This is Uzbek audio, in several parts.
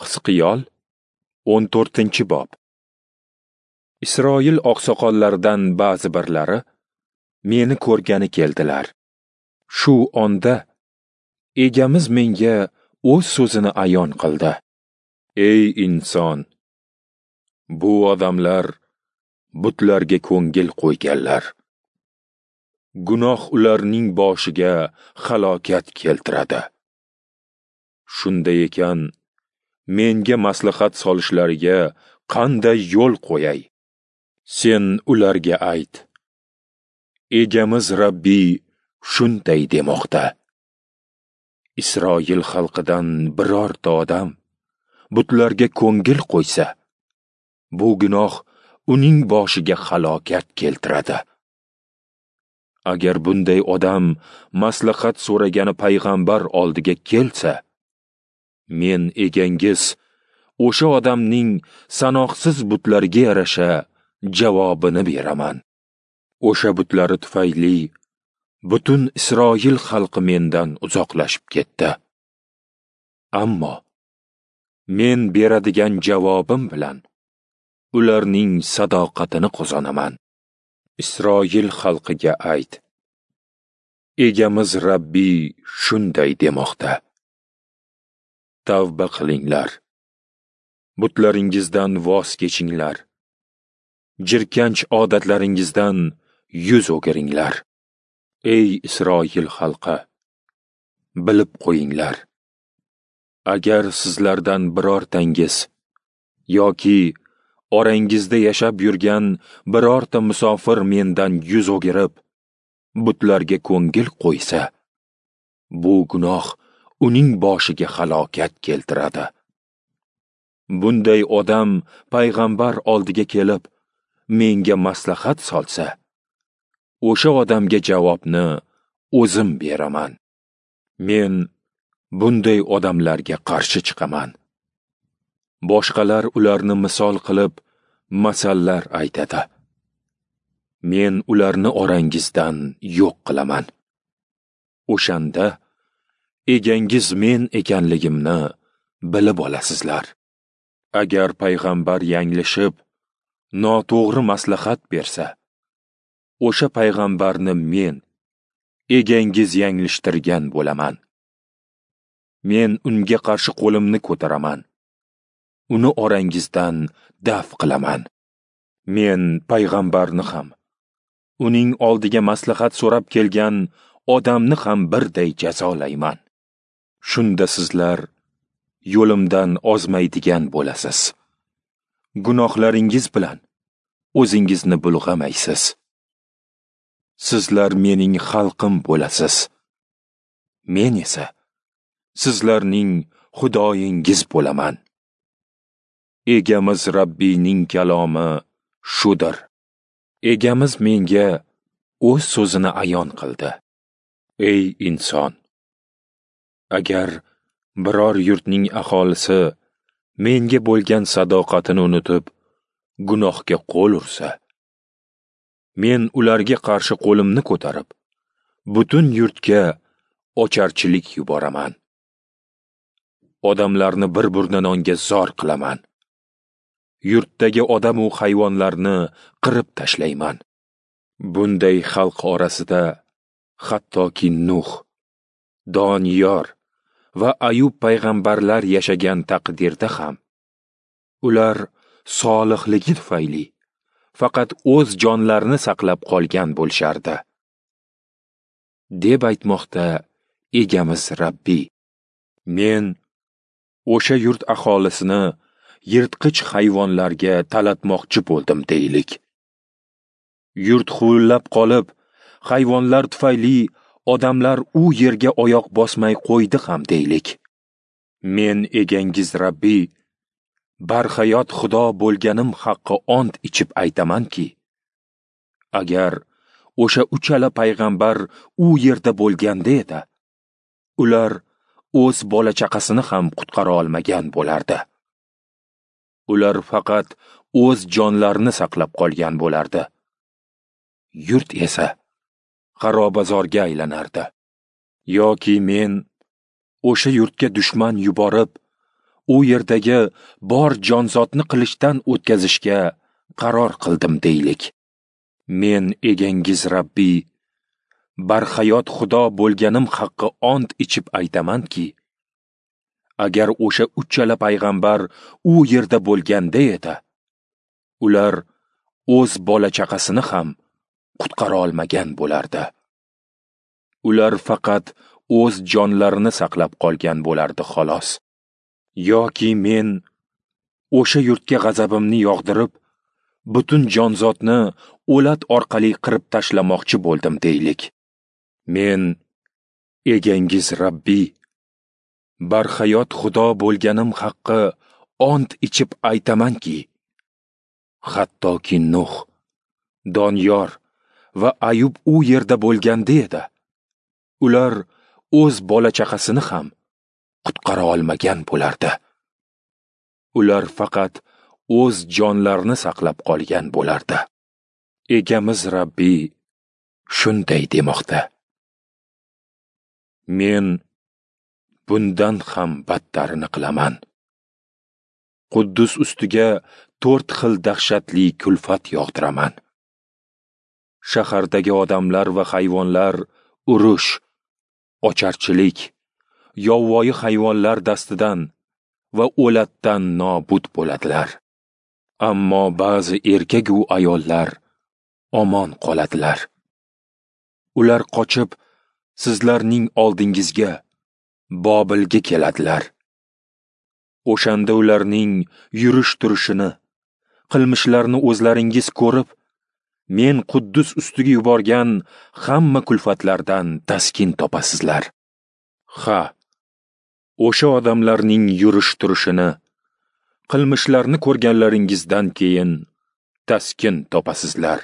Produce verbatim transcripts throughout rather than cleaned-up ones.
Hizqiyol o'n to'rtinchi bob. Isroil oqsoqollaridan ba'zi birlari meni ko'rgani keldilar. Shu onda Egamiz menga o'z so'zini ayon qildi. Ey inson, bu odamlar butlarga ko'ngil qo'yganlar. Gunoh ularning boshiga halokat keltiradi. Shunday ekan, menga maslahat solishlariga qanday yo'l qo'yay? Sen ularga ayt: Egamiz Rabbiy shunday demoqda: Isroil xalqidan birorta odam butlarga ko'ngil qo'ysa, bu gunoh uning boshiga halokat keltiradi. Agar bunday odam maslahat so'ragani payg'ambar oldiga kelsa, men egangiz o'sha odamning sanoqsiz butlariga yarasha javobini beraman. O'sha butlari tufayli butun Isroil xalqi mendan uzoqlashib ketdi. Ammo men beradigan javobim bilan ularning sadoqatini qozonaman. Isroil xalqiga ayt: Egamiz Rabbiy shunday demoqda: Tavba qilinglar, butlaringizdan voz kechinglar, jirkanch odatlaringizdan yuz o'giringlar. Ey Isroil xalqi, bilib qo'yinglar, agar sizlardan birortangiz yoki orangizda yashab yurgan birorta musofir mendan yuz o'girib, butlarga ko'ngil qo'ysa, bu gunoh uning boshiga halokat keltiradi. Bunday odam payg'ambar oldiga kelib, menga maslahat solsa, o'sha odamga javobni o'zim beraman. Men bunday odamlarga qarshi chiqaman. Boshqalar ularni misol qilib, masallar aytadi. Men ularni orangizdan yo'q qilaman. O'shanda egangiz men ekanligimni bilib olasizlar. Agar payg'ambar yanglishib, noto'g'ri maslahat bersa, o'sha payg'ambarni men, egangiz yanglishtirgan bo'laman. Men unga qarshi qo'limni ko'taraman. Uni orangizdan daf qilaman. Men payg'ambarni ham, uning oldiga maslahat so'rab kelgan odamni ham birday jazolayman. Shunda sizlar yo'limdan ozmaydigan bo'lasiz. Gunohlaringiz bilan o'zingizni bulg'amaysiz. Sizlar mening xalqim bo'lasiz. Men esa sizlarning Xudoyingiz bo'laman. Egamiz Rabbiyning kalomi shudir. Egamiz menga o'z so'zini ayon qildi. Ey inson, agar biror yurtning aholisi menga bo'lgan sadoqatini unutib, gunohga qo'l ursa, men ularga qarshi qo'limni ko'tarib, butun yurtga ocharchilik yuboraman. Odamlarni bir burda nonga zor qilaman. Yurtdagi odam u hayvonlarni qirib tashlayman. Bunday xalq orasida hattoki Nuh, Doniyor va Ayub payg'ambarlar yashagan taqdirda ham ular solihligi tufayli faqat o'z jonlarini saqlab qolgan bo'lishardi, deb aytmoqda Egamiz Rabbiy. Men o'sha yurt aholisini yirtqich hayvonlarga talatmoqchi bo'ldim deylik. Yurt huvullab qolib, hayvonlar tufayli odamlar u yerga oyoq bosmay qo'ydi ham deylik. Men egangiz Rabbiy, barhayot Xudo bo'lganim haqqi ont ichib aytamanki, agar o'sha uchala payg'ambar u yerda bo'lganda edi, ular o'z bola chaqasini ham qutqara olmagan bo'lardi. Ular faqat o'z jonlarini saqlab qolgan bo'lardi. Yurt esa xarobazorga aylanardi. Yoki men o'sha yurtga dushman yuborib, u yerdagi bor jonzotni qilichdan o'tkazishga qaror qildim deylik. Men egangiz Rabbiy, barhayot Xudo bo'lganim haqqi ont ichib aytamanki, agar o'sha uchala payg'ambar u yerda bo'lganda edi, ular o'z bola chaqasini ham qutqara olmagan bo'lardi. Ular faqat o'z jonlarini saqlab qolgan bo'lardi xolos. Yoki men o'sha yurtga g'azabimni yog'dirib, butun jonzotni o'lat orqali qirib tashlamoqchi bo'ldim deylik. Men egangiz Rabbiy, barhayot Xudo bo'lganim haqqi ont ichib aytamanki, hattoki Nuh, Doniyor va Ayub u yerda bo'lganda edi, ular o'z bola chaqasini ham qutqara olmagan bo'lardi. Ular faqat o'z jonlarini saqlab qolgan bo'lardi. Egamiz Rabbiy shunday demoqda: Men bundan ham battarini qilaman. Quddus ustiga to'rt xil dahshatli kulfat yog'diraman. Shahardagi odamlar va hayvonlar urush, ocharchilik, yovvoyi hayvonlar dastidan va o'latdan nobud bo'ladilar. Ammo ba'zi erkak u ayollar omon qoladilar. Ular qochib sizlarning oldingizga, Bobilga keladilar. O'shanda ularning yurish-turishini, qilmishlarini o'zlaringiz ko'rib, men Quddus ustiga yuborgan hamma kulfatlardan taskin topasizlar. Ha, o'sha odamlarning yurish-turishini, qilmishlarini ko'rganlaringizdan keyin taskin topasizlar.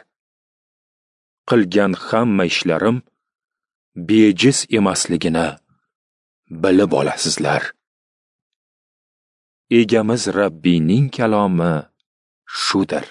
Qilgan hamma ishlarim bejiz emasligini bilib olasizlar. Egamiz Rabbiyning kalomi shudir.